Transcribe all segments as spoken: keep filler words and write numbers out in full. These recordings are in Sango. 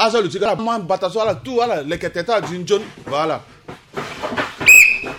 Azo aluti kala ma bata so ala tout ala leke tete ala duti nzoni. Voilà.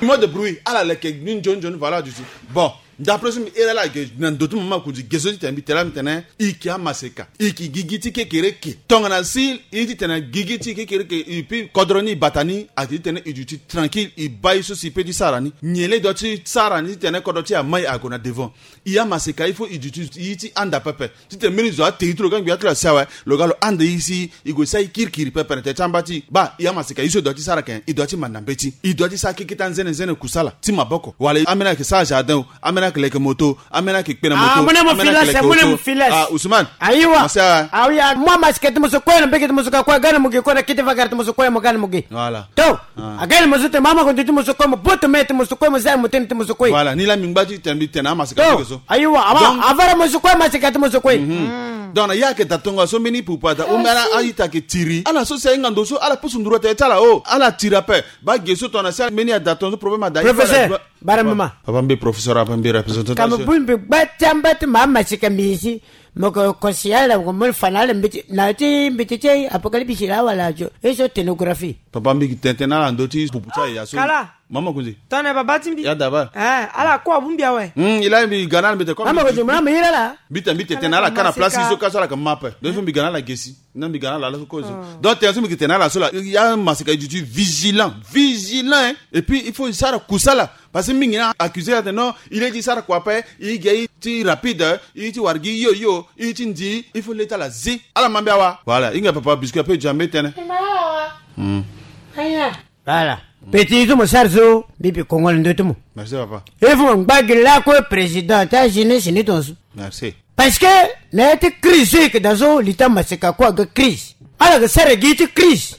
Mot de bruit ala leke ni nzoni nzoni. Voilà duti. Bon, d'après so mbi iri ala ge na ndo ti mama Kundi ge so titene mbi tene ala mbi tene i yeke amaseka, i yeke gigi ti kekereke. Tongana si i titene gigi ti kekereke i pi kodro ni i bata ni, ati titene i duti tranquille, i baa ye so si i pe ti sara ni. Nyen laa i doit ti sara ni titene kodro ti e amai ague na devant? I amaseka il faut i duti i ti anda pepe. Titene mbeni zo ate i ti lo ga ngbi ati lo asi awe, lo ga lo anda i si i gue sara i kirikiri pepe na tete ti amba ti i. Baa, i amaseka ye so i doit ti sara ake nyen? I doit ti manda mbeti. I doit ti sara keke ti anzene nzene kusala ti maboko. Wala ambeni ayeke sara jardin o, ambeni ayeke leke moto, ambeni ayeke kpe na moto, ah, mo ne mo ambeni ayeke filas, leke mo ne mo oto. Filas. Ah, Ousmane. Ayiwa. Mo si awe. Ah oui, ah, mo amaseka ti mo so kue na mbege ti mo so ka kue aga na mo ge kue na kete vagara ti mo so kue mo ga na mo ge. Voilà. To. Ah. Aga na mo so tene mama Kundi ti mo so kue, mo boto me ti mo so kue, mo zia mo tene ti mo so kue. Voilà, ni laa mbi ngba ti tene mbi tene amaseka ti ke so. Ayiwa, ama. Donc, avara mo so kue, amaseka ti mo so kue. Mhm. Donc na ya ayeke da tongo so mbeni pupu ada ou mbeni a-ita ayeke tiri ala so si ahinga ndo so ala pusu nduru atene ti ala o, ala tiri ape. Baa ge so tongana si mbeni ada tongo so problème ada. Professeur. Bara mama. Papa mbi professeur, papa mbi représentant. Ka mo bongbi gba ti amba ti ma amaseka mbi si. Mo ko kosi ala, mo ko mo fa na ala mbeti, na ti mbeti ti Apocalypse la wala jo. E so tenographie. Papa mbi gi tene tene na ala ndo ti pupu ti aye ya so. Kala. Mama Kundi. Tongana baba ti mbi. Ya daba. Eh, ala kue abongbi awe. Hmm, i la mbi ga na ala mbi tene. Mama Kundi, mama iri ala. Mbi tene mbi tene tene na ala ka na place so ka so ala yeke ma ape. Donc il faut mbi ga na ala ge si. Na mbi ga na ala la so kozo. Oh. Donc tene so mbi gi tene na ala so la, ya amaseka i duti vigilant, vigilant, hein. Et puis il faut i sara kusala. Parce que mingi na accusé atene non, i le ti sara kua ape, i ge i ti rapide, i ti wara gi yo yo, i ti ndi, il faut le ti ala zi. Ala ma mbi awa. Voilà, i hinga papa biscuit ape i duti ambe tënë. Hmm. Voilà. Petit, i ti mo sara so mbi bi kongo na ndö ti mo. Merci papa. Il faut mo ngba gi lakue président ti ajeunesse ni tongaso. Merci. Parce que na ya ti crise so i yeke daa so li ti amaseka kue aga crise. Ala yeke sara gi ti crise.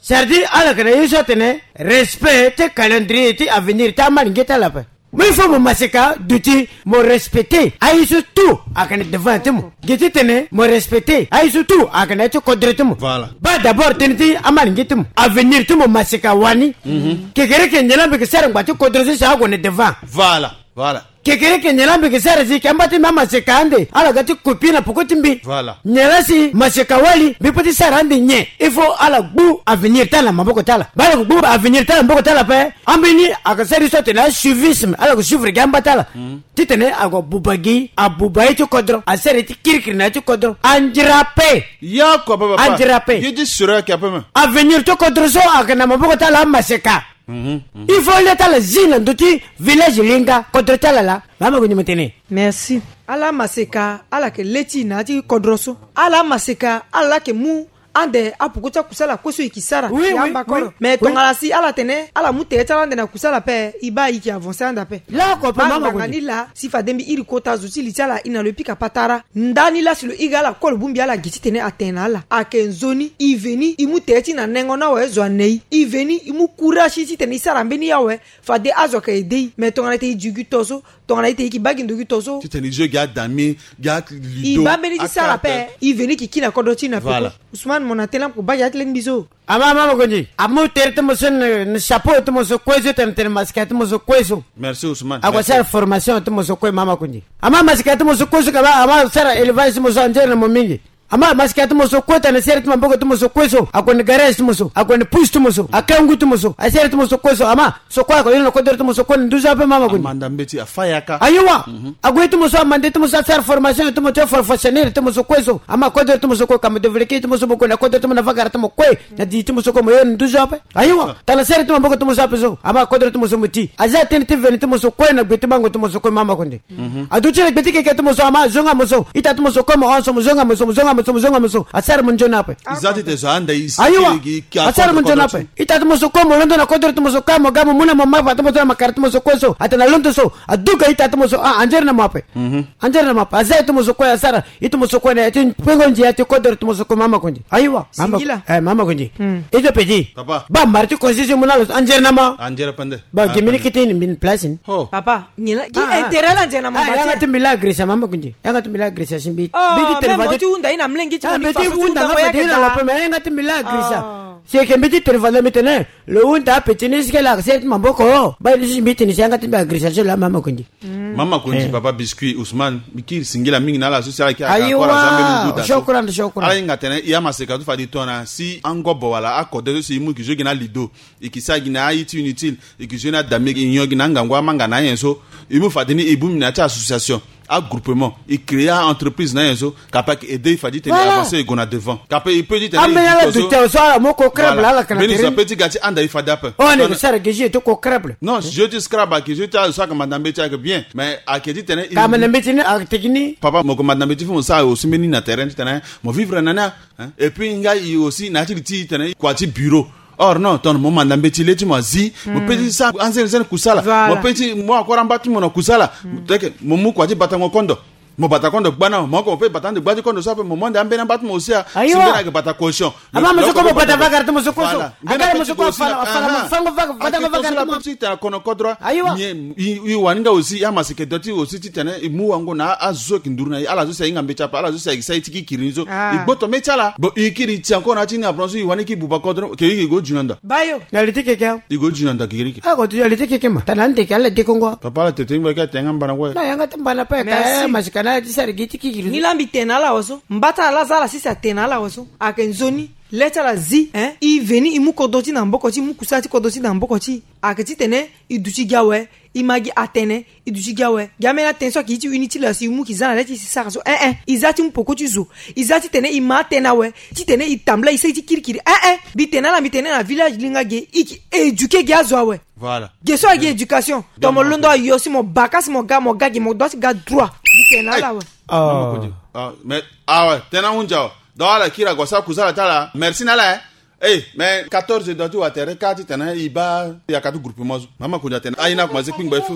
C'est-à-dire ala yeke na ye so atene respect ti calendrier ti avenir ti amalenge ti ala ape. Mais il faut mo maseka duti mo respecter aye so tout ayeke na devant ti mo. Gi titene mo respecter aye so tout ayeke na ya ti kodro ti mo. Voilà. Baa d'abord tënë ti amalenge ti mo, avenir ti mo maseka wani. Mhm. Kekereke nyen laa mbi yeke sara ngba ti kodro so si ague na devant. Voilà. Voilà. Kekereke nyen laa mbi yeke sara si yeke amba ti mbi amaseka ande ala ga ti copie na peko ti mbi. Voilà. Nyen laa si maseka wali mbi pe ti sara ande nyen? Il faut ala gbu avenir ti ala na maboko ti ala. Baa ala yeke gbu avenir ti ala na maboko ti ala ape, ambeni ayeke sara ye so atene asuivisme, ala yeke suivre gi amba ti ala. Mhm. Titene ague abuba gi, abuba ye ti kodro, asara ye ti kirikiri na ya ti kodro. Anzere ape. Ya kua papa. Anzere ape. Ye ti sura ayeke ape me. Avenir ti kodro so ayeke na maboko ti ala amaseka. Mhm, mhm. Il faut le ti ala zi na ndö ti village linga kodro ti ala laa. Mama Kundi mo tene. Merci. Ala amaseka ala yeke le ti na ya ti kodro so. Ala amaseka ala laa yeke mu ande apoko ti akusala kue so e yeke sara. Oui, oui, amba koro. Mais tongana si ala tene ala mu tere ti ala ande na kusala ape, e baa e yeke avancer ande ape. Lakue ape mama Kundi. Anganga ni laa si fade mbi iri kota zo ti li ti ala e na lo e pika patara. Ndani laa si lo iri ala kue lo bongbi ala gi titene atene na ala ayeke nzoni. E veni e mu tere ti na nengo ni awe, zo ane e. E veni e mu courage titene e sara mbeni awe. Fade azo ayeke aide e. Mais tongana e tene e zi gi to so, tongana e tene e yeke baa gi ndo gi to so, titene e zo gi adami, gi alido. E baa mbeni ti sara ape. E veni e yeke kiri na kodro ti e na peko. Voilà. Ousmane, mo na tene la mo ko baa gi ati leni mbi so. Ama mama Kundi, amu tere ti mo so na, na chapeau ti mo so kue so tene tene masika ti mo so kue so. Merci Ousmane. Ague asara formation ti mo so kue mama Kundi. Ama masika ti mo so kue so ka baa ama sara élevage ti mo so anzere na mo mingi. Ama masika ti mo so kue tene sere ti maboko ti mo so kue so ague na garage ti mo so, ague na pousse ti mo so, akangu ti mo so, asere ti mo so kue so ama so kue ague hiri na kodro ti mo so kue na nduzu ape mama Kundi. Amanda mbeti afa yaka. Ayiwa. Mhm. Ague ti mo so amanda ti mo so asara formation ti mo ti professionnel ti mo so kue so. Ama kodro ti mo so kue ka mo développer ti mo so mo gue na kodro ti mo na vagara ti mo kue. Na di ti mo so kue mo yo na nduzu ape. Ayiwa. Tala sere ti maboko ti mo so ape so. Ama kodro ti mo so mo ti. Aza tënë ti veni ti mo so kue na gbe ti bango ti mo so kue mama Kundi. Mhm. Aduti na gbe ti keke ti mo so ama zonga mo so. Ita ti mo so kue mo hon so mo zonga mo so, mo zonga mo so, mo zonga mo so. Asara mo nzoni ape. Ayiwa. Asara mo nzoni ape. Ita ti mo so kue mo londo na kodro ti mo so kue mo ga mo mu na mo mapa ti mo so na makara ti mo so kue so. Atene alondo so. Aduka ita ti mo so a anzere na mo ape. Mhm. Anzere na mo ape. Aza ye ti mo so kue asara. Ye ti mo so kue na ya ti pengo ndia ti kodro ti mo so kue mama Kundi. Ayiwa. Singila. Eh, mama Kundi. Hmm. Ye ti petit. Papa. Baa mara ti constitution mu na lo so anzere na mo. Anzere pende. Baa gi mbeni kete ni mbeni place ni. Ho. Papa, nyen la gi intérêt la anzere na mo. Ah, yanga ti mbi la agresa mama Kundi. Yanga ti mbi la agresa si mbi. Oh, mbi ti tene même mo ti hunda ye na mlenge ti mo ni façon ti hunda nga fade ye na lo ape mais yanga ti mbi la agresa. Oh. Si eke mbi ti tene fade mbi tene. Lo hunda petit ni si ke la sere ti maboko. Baa ye ti si mbi tene si yanga ti mbi agresa so la mama Kundi. Hmm. Mama Kondi, papa Biscuit, Ousmane, mbi kiri singila mingi na ala so si ala yeke akora zambeli guda so. Shukran, shukran. Ala hinga tene i amaseka so fade i tongana si angobo wala akode so si i mu ki zo gi na lido, i ki sara gi na aye ti inutile, i ki zo ni adame, i nyon gi na angangu amanga na ayen so. I mu fade ni i bongbi na ya ti association, agroupement, i créer a-entreprise na ayen so, kapa ki aide i fade i tene i avancer, i gue na devant. Kapa i peut ti tene i ambeni ala dute so ala mu ko crable ala kana mbeni so ape ti ga ti anda i fade ape. On est sara gi jeu ti ko crable. Non, jeu ti scrabble ayeke jeu ti azo so ayeke manda mbeti ayeke bien, mais ayeke ti tene i ka manda mbeti ni ayeke teki ni. Papa, mo yeke manda mbeti fo mo sara aussi mbeni na terrain ti tene mo vivre na ni. Hein? Et puis nga i aussi na ya ti li ti i tene i kua ti bureau. Or non, tongana mo manda mbeti le ti mo azi, mo peut ti sara anzene zene kusala. Mo peut ti mu akora amba ti mo na kusala. Teke mo mu kua ti batango kondo. Mo bata kondo gba na mo oko, mo peut bata ande gba ti kondo so ape, mo mu ande ambeni amba ti mo aussi a. Si mbeni ayeke bata caution. Ama mo so ko mo bata vagara ti mo so koso. Agara mo so ko afana afana mo fango vaga batango vaga ti mo. Ti tena kono kodro. Ayiwa. I wani nga aussi ya maseke do ti aussi ti tene i mu wango na azo ki nduru na i, ala zo si ahinga mbeti ape, ala zo si ayeke sara i ti kikiri ni so. I gboto mbeti ala. Bon, i kiri ti encore na ya ti ni apron so i wani ki buba kodro ke i go juna nda. Bayo. Na li ti keke. I go juna nda kikiriki. Ako tu ya li ti keke ma tana ndeke ala dekongo. Papa ala tete ngba ke atenga mbana kue. Na yanga ti mbana pe ka masika na ya ti sara gi ti kikiri. Ni la mbi tene na ala waso. Mbata ala za ala sisi atene na ala waso. Ayeke nzoni le ti ala zi, hein, i veni i mu kodro ti na mboko ti i, mu kusala ti kodro ti na mboko ti i. Ayeke titene i duti gi awe, i ma gi atene, i duti gi awe. Gi ambeni atene so ayeke ye ti uni ti lo asi i mu ki za na le ti si sara so, eh eh. I za ti mu poko ti zo. I za titene i ma atene awe, titene i tambula i sara ti kirikiri, eh eh. Mbi tene na ala, mbi tene na village linga ge, i ki éduquer gi azo awe. Voilà. Ge so ayeke éducation. Donc mo londo ayo si mo baka si mo ga, mo ga gi, mo doit ti ga droit. Mbi tene na ala awe. Mais awe tena hunja awe. Donc ala kiri ague asara kusala ti ala. Merci na ala, eh. Eh, mais quatorze heures ti watere ka titene i baa yaka ti groupement so. Mama Kondi atene aye ni akomanse kpingba i fo.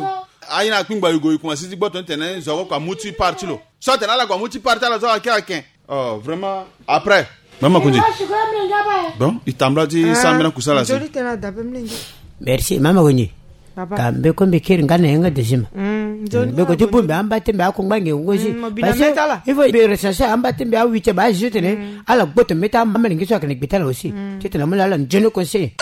Aye ni akpingba i go i komanse ti gboto ni tene zo ako kua mu ti part ti lo. So atene ala kua mu ti part ti ala so ake ake. Oh, vraiment. Après. Mama Kondi. Bon, i tambula ti sara mbeni akusala si. Merci Mama Kondi. Ka mbeko mbi kiri nga na yanga deuxième. Mbeko ti bongbi amba ti mbi akungba nge ngozi. Parce que il faut mbi rechercher amba ti mbi awite ba azi tene ala gboto mbeti amalenge so ayeke na gbe ti ala aussi. Titene amu na ala nzoni conseil.